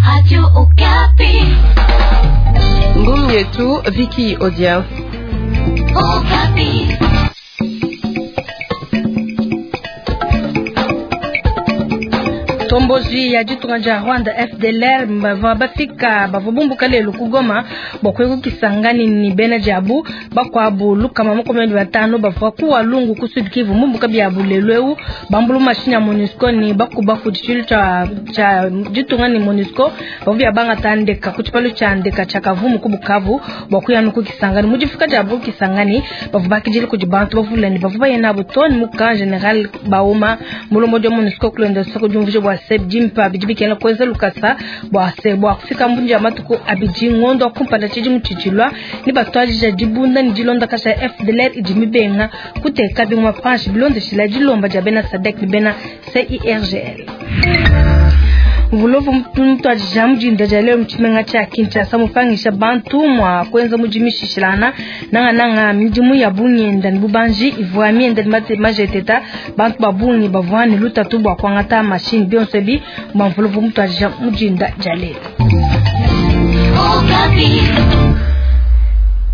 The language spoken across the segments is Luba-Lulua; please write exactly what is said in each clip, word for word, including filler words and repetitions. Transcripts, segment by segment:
Radio Okapi. Ngumu yetu Viki Odia. Okapi. Tomboji ya ditunga dia Rwanda F D L R bavua bafika bavua bumbuka lelu ku Goma bua kuya ku Kisangani ni bena diabu bakuabu lukama makumi abidi batanu bavua ku Walungu ku Sud Kivu mumbuka biabu lelu eu bambulu mashini ya MONUSCO ni bakuba ku tshilu tshia tshia ditunga ni MONUSCO bavua bia bangata ndeka ku tshipalu tshia ndeka tshia Kavumu ku Bukavu bua kuya nu ku Kisangani. Mu difika diabu ku Kisangani bavua bakidile kudi bantu bavula ni bavua baye nabu too ne mu camp general Bauma mulombo wa MONUSCO kulonda soko diumvuija bua se dimpa bidi bikena kuenza lukasa bua se bua kufika mbunji ya matuku abidi ngondo kumpala tshidimu tshitshilwa ni batwajija dibunda ni dilonda kasha F D L R idi mibenga kuteka bimwa panshi bilondeshila dilomba dia bena SADC ni bena C I R G L. Mvulovu mutwajija mujinda dia leo mutshimenga tshia Kinshasa mupangisha bantu mwa kuenza mujimishishilana nanga nanga midimu ya bunyenda ni bubanji ivua mienda ni mate majeteta bantu babungi bavua ni lutatu bua kuangata mashini bionso bi bua mvulovu mutwajija mujinda dia leo. Okapi.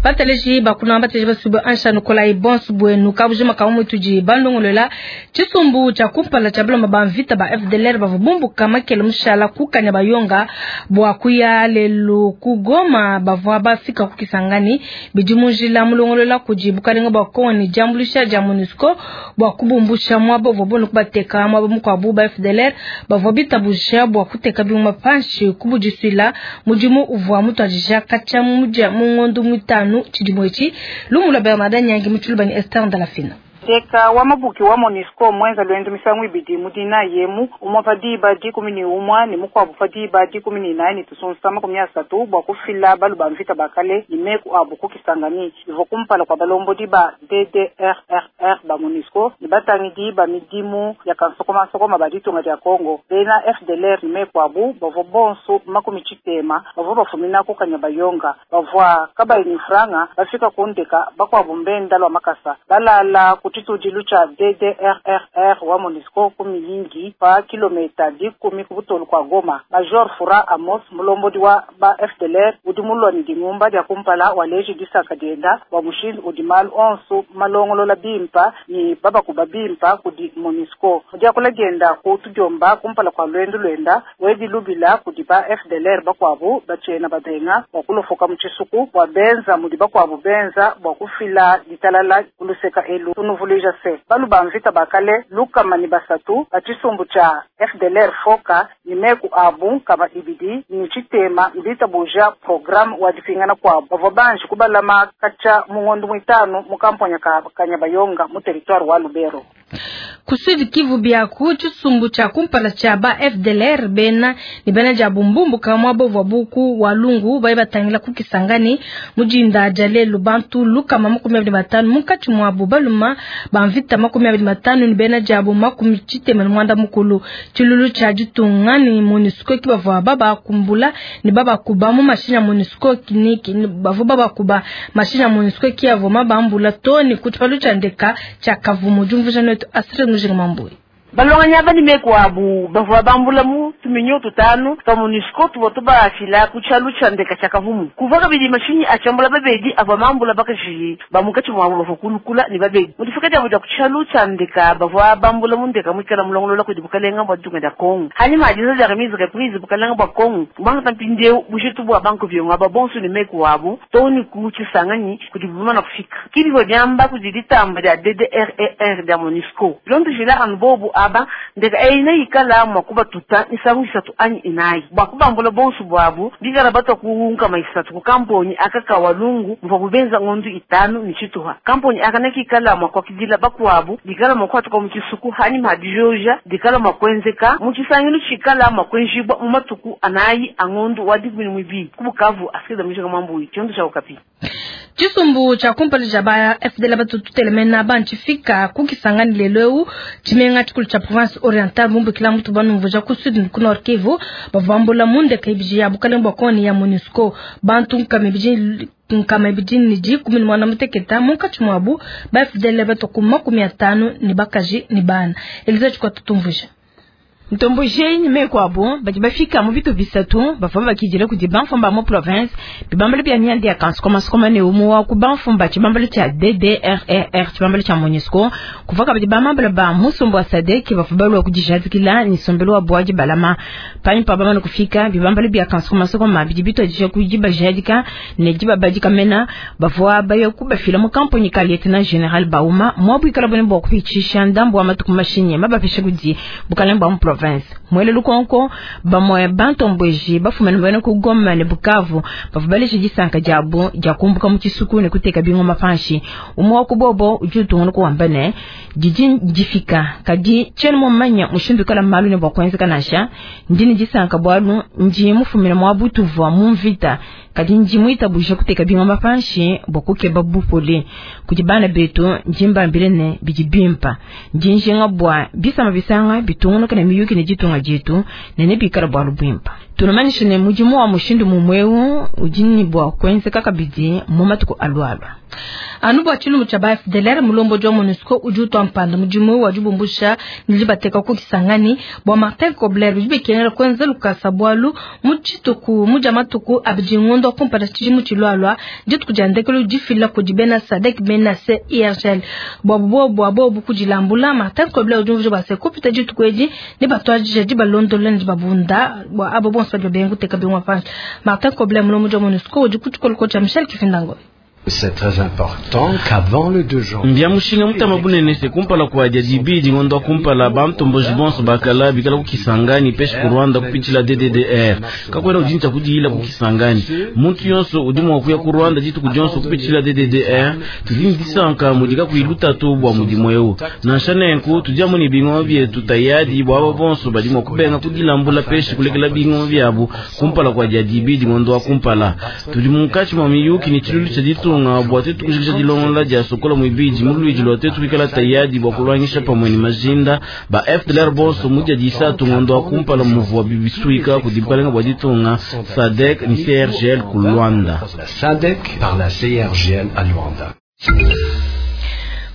Bateleji bakuna bateleji basubu ansha Nikolai bonsu bwenu kabujima kamu tuji bandongolela tshisumbu tshia kumpala tshia bilomba ba mvita ba F D L R bavua bumbuka makele mushala kukanya bayonga bua kuya lelu ku Goma bavua bafika ku Kisangani bidi mu njila mulongolola kudi bukalenga bua Kongo ni diambuluisha dia MONUSCO bua kubumbusha muaba uvua bunu kubateka muaba mukuabu ba F D L R bavua bitabusha bua kuteka bimuma panshi kubudisuila mudimu uvua mutuadija katshia mudia mu ngondo mitanu tshidimo etshi lumula Bernard Nyangi mutshuluba ni Esther Ndalafina. Teka wa mabuki wa MONUSCO mwenza lwendo misangu ibidi mudina yemu umwa pa diba dikumi ni umwa ni mukwabu pa diba dikumi ni inayi ni tusunsa makumi asatu bua kufila balu ba mvita bakale ni meku abu ku Kisangani ivo kumpala kwa balombo diba D D R R R ba MONUSCO ni batangi ba midimu ya kansokomasokoma ba ditunga dia Kongo bena F D L R ni meku abu bavua bonso makumi tshitema bavua bafumina ku Kanyabayonga bavua kabayi ni franga bafika kundeka bakwabu mbenda lwa makasa balala ku tshitudilu tshia D D R R R wa MONUSCO ku miyingi pa kilomita dikumi ku butolu kwa Goma. Major Fura Amos mulombodi wa ba F D L R udi mulwa ni dingumba dia kumpala waleji disaka dienda wa mushindu udi malu onso malongolola bimpa ni babakuba bimpa kudi MONUSCO diakula dienda ku tudiomba kumpala kwa lwendu lwenda wedi lubila kudi ba F D L R bakwabu batshiena babenga bua kulofoka mu tshisuku bua benza mudi bakwabu benza bua kufila ditalala kuluseka elu tunuvuluija se balu ba mvita bakale lukama ni basatu ba tshisumbu tshia F D L R foka ni meku abu kama ibidi ni tshitema mbita buja programme wa dipingana kwabu bavua banji kubalama katshia mungondo muitanu mu kamponya ka Kanyabayonga mu territoire wa Lubero. Ku Sud Kivu biaku tshisumbu tshia kumpala tshia ba F D L R bena ni bena dia bumbumbu kamwa bovua buku Walungu baye batangila ku Kisangani mujinda dia lelu bantu lukama makumi abidi batanu munkatshi muabu baluma ba mvita makumi abidi matanu ni bena diabu makumi tshitema ni mwanda mukulu tshilulu tshia ditunga ni MONUSCO ki bavua babakumbula ni babakuba mu mashini ya MONUSCO ni bavua babakuba mashini ya MONUSCO ki avua mabambula to ni ku tshipalu tshia ndeka tshia Kavumu diumvuija netu Astrid Mujinga Mambui. Balonganya bani meku abu bavua bambula mu tuminyo tutanu twa MONUSCO tuvua tubafila ku tshialu tshia ndeka tshia Kavumu kuvua kabidi mashinyi atshiambula babedi avua mambula bakaji ba munkatshi muabu bavua kulukula ni babedi mu difika diabu dia ku tshialu tshia ndeka bavua bambula mu ndeka muikala mulongolola kudi bukalenga bua ditunga dia Kongo hanyuma adiza dia remise reprise bukalenga bua Kongo bangata mpindieu bujitu bua banku biongo aba bonso ni meku abu too ni ku tshisanganyi kudi bumana kufika kibivua diamba kudi ditamba dia D D R E R dia MONUSCO bilondeshila anu bobu aba ndeka eina ikala mwa kubatuta misangu isatu anyi inayi bua kubambula bonso bwabu bikala batwa kunkama isatu ku kamponi aka Walungu muvua kubenza ngondu itanu ni tshituha kamponi aka nekikala mwa kuakidila bakuabu dikala mwa kuatuka mu tshisuku hanyuma dijoja dikala mwa kuenzeka mu tshisangilu tshikala mwa kuenjibwa mu matuku anayi angondu wa dikumi ni muibidi ku Bukavu asikiliza mujinga Mwambuyi tshiondo tshia Okapi. Tshisumbu tshia kumpala tshia ba F D L batututelemena bantshifika ku Kisangani lelu eu tshimenga tshikulu tshia province orientale bumbukila mutu banumvuja ku sud ku Nord Kivu bavua bambula mu ndeka ibidi ya bukalenga bua Kongo ya MONUSCO bantu nkama ibidi nkama ibidi ni dikumi ni mwana muteketa munkatshi muabu ba F D L batuku makumi atanu ni bakaji ni bana Eliza tshikwa tutumvuja. Ntomboje ni meku abo badi bafika mu bitu bisatu bavua bakidila kudi bamfumba mu province bibambalo bya mianda ya kansukomasukoma ne umwe wa ku bamfumba tshibambalo tshia D D R R R tshibambalo tshia MONUSCO kuva kabidi bamambala ba musumbu wa SADC bavua balua kudijadikila ni sombelo wa bwadi balama panyi pa bamana kufika bibambalo bya kansukomasukoma bidi bitwadisha kudibajadika ne dibabadika mena bavua baya kubafila mu kampuni ka lieutenant general Bauma mwabwikala bone bwa kupitshisha ndambu wa matuku mashinye mabapesha kudi bukalenge bwa mu province mwele lukonko bamwe bantombweji bafumene bene ku Goma ne Bukavu bavua balesha disanka diabu dia kumbuka mu tshisuku ne kuteka bingoma panshi umwe wa kubobo udi utungunuka kuwamba ne didi difika kadi tshiena mumanya mushindu kala malu ne bua kuenzeka nansha ndi ne disanka bualu ndi mufumine mwa butuvua mu mvita kadi ndi muitabuja kuteka bingoma panshi bua kukeba bupole kudi bana betu ndi mbambile ne bidi bimpa ndi njinga bua bisama bisanga bitungunuka ne miyuki ne ditunga dietu ne ne bikala bualu bwimpa tunamanyisha ne mudimu wa mushindu mumweu udi ne bua kuenzeka kabidi mu matuku alualua. Anu bua tshilumbu tshia ba F D L R mulombo wa MONUSCO udi utua mpanda mudimu wa dibumbusha ne bateka ku Kisangani bua Martin Kobler udi bikenela kuenza lukasa bualu mu tshituku mu dia matuku abidi ngondo kumpala tshidimu tshilualua dituku dia ndekelu difila kudi bena SADC bena C I R G L bua bobo bobo kudilambula Martin Kobler udi umvuija bua se kupita dituku edi ne batuadija dibalondola ne dibabunda bua abo bonso badi babenga kuteka bingoma panshi. Martin Kobler mulombo wa MONUSCO udi ku tshikoloko tshia Michel Kifindango. C'est très important qu'avant le deux janvier. Mbya mushinga mutama bunene se kumpala kwa dia ngondo kumpala bantomboji bonso bakala bikala ku Kisangani peshi ku Rwanda kupitshila D D D R kakwena ujincha kudiyila ku Kisangani muntu yonso udi mua kuya ku Rwanda dituku dionso kupitshila D D D R tudi disanka mudika kuilutatu bua mudimu eu nansha nenku tudi amu ne bingoma bietu tayadi bua abo bonso badi mua kubenga kudilambula peshi kulekela bingoma biabu kumpala kwa dia dibidi ngondo wa kumpala tudi munkatshi mua miyuki ne tshilulu tshia ditunga bua tetu kujikisha dilongola dia sokola mwibidi mulwidi lwa tetu kuikala tayadi bua kulwangisha pamwe ni majinda ba F D L R bonso mudia disatu ngondo wa kumpala muvua bibisuika kudi bukalenga bua ditunga SADC ni C R G L ku Luanda. La SADC par la C R G L à Luanda.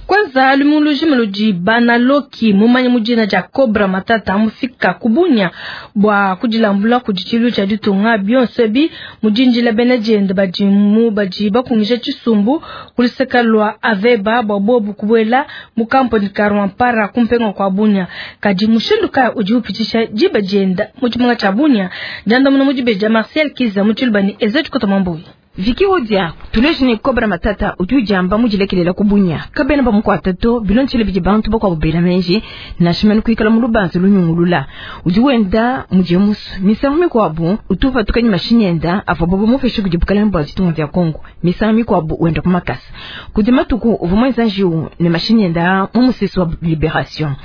Kwanza lumuluji melodi banaloki mumanya mujina ja Cobra Matata amufika kubunya bwa kudilambula kuditshilu tshia ditunga bionso bi mujinjila bena jende badimu badi bakungisha tshisumbu kuliseka lwa aveba bwa bobu kubwela mu kamponi ka Rwampara kumpenga kwa bunya kadi mushindu ka udi upitisha jiba jenda muchimunga cha bunya janda muno mujibeja Marcel Kiza muchilubani ezetu kotomambuyi. Viki Odia, tuleje ne Cobra Matata udi ujamba mujilekelela kubunya kabena bamukwata to bilonchele bidi bantu bakwa menji nashimene kuikala mu lubanza lunyungulula udi wenda muje musu misangu mikwabu utupa tukanyi mashinyi enda avua bobo mupeshe kudi bukalenge bua ditunga dia Kongo misangu mikwabu wenda ku makasa kudi matuku uvua muenza njiwu ne mashinyi enda mu musisi wa liberation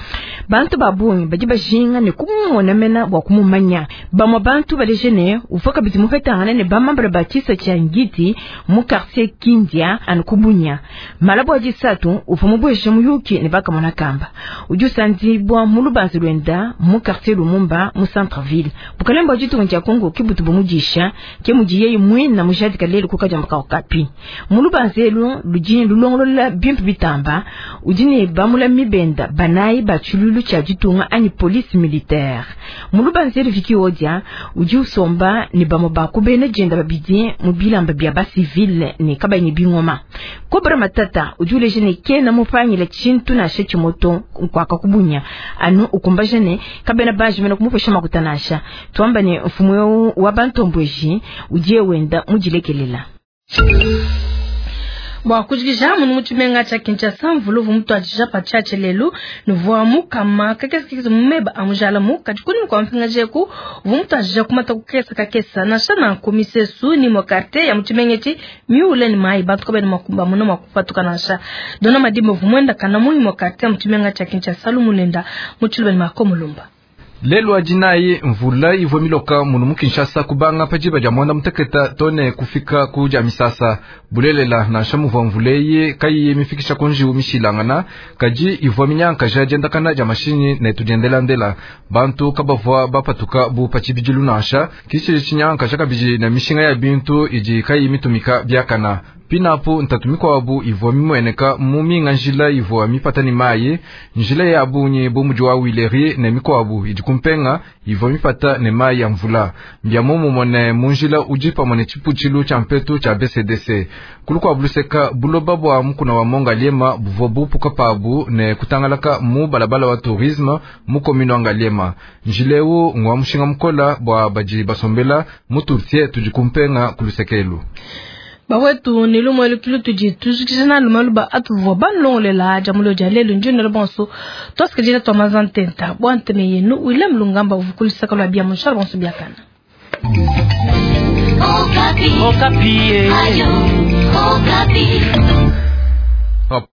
bantu babungi badi bajinga ne kumumona mena bua kumumanya bamwe bantu baleje ne uvua kabidi mupetangana ne bamambala ba tshisa tshia ngiti mu quartier Kindia anu kubunya malabo adisatu uvua mubweshe muyuki ne bakamona kamba udi usandibwa mu lubanza lwenda mu quartier Lumumba mu centre ville bukalenge bua ditunga dia Kongo kibutu bumudisha ke mudiye mwina mujadika lelu kukajamba ka okapi mu lubanza elu ludi lulongolola bimpe bitamba udi ne bamula mibenda banayi ba tshilulu tshia ditunga anyi police militaire mu lubanza elu Viki Odia udi usomba ne bamwe bakubena jenda babidi mu bilamba bya ba civil ne kabanyi bingoma Cobra Matata udi uleje ne kena mupangila tshintu na she tshimoto nkwaka kubunya anu ukumbaje ne kabena baje mena kumupesha makutanasha tuamba ne mfumu wa bantombweji udiye wenda mujilekelela. Bwa kujikisha munu muchimenga cha Kinshasa mvuluvu mtu ajija pachache lelu nuvua mukama kakesa kekesa mumeba amujala mu kajikuni mkwa mpinga jeku vumtu ajija kumata kukesa kakesa na shana komisesu ni mwakarte ya muchimengechi miule ni mai bantu kabeni makumba muno makupatuka nasha dona madimo vumwenda kana muni mwakarte ya muchimenga cha Kinshasa lumulenda muchilubeni makomulumba. Lelo ajinayi mvula ivua miloka munu mu Kinshasa kubanga pajiba dia mwanda muteketa tone kufika kuja misasa bulelela nansha muvua mvuleye kayiye mifikisha kunjiwu mishilangana kaji ivua minyanka ja diendakana dia mashinyi ne tudiendelandela bantu kabavua bapatuka bu patshibidilu nansha kishi tshinyanka ja kabidi na mishinga ya bintu idi kayi mitumika biakana. Pinapo ntatu mikwabu ivua mimueneka mu minga njila ivua mipata ni mayi, njila ya bunyi bu mudi wa Wileri ne mikwabu idi kumpenga ivua mipata ne mayi ya mvula. Mbia momumone mu njila udi pamue ne tshiputshilu tshia mpetu tshia B C D C. Kulu kwa buluseka buloba bua mukuna wa Mongaliema buvua bupuka pabu ne kutangalaka mu balabala wa tourisme mu commune wa Ngaliema. Njileu ngwa mushinga mukola bua badi basombela mu turtie tudi kumpenga kulusekelu. Bawetu ni lumwe lukilu tudi tujikijana lumalu ba atuvua banlongolela jamulo ja lelo njino bonso twasikajila twa mazantenta bwa nteme yenu William Lungamba uvukulisaka lwa bia mushala bonso biakana. Okapi. Okapi. Ayo, Okapi.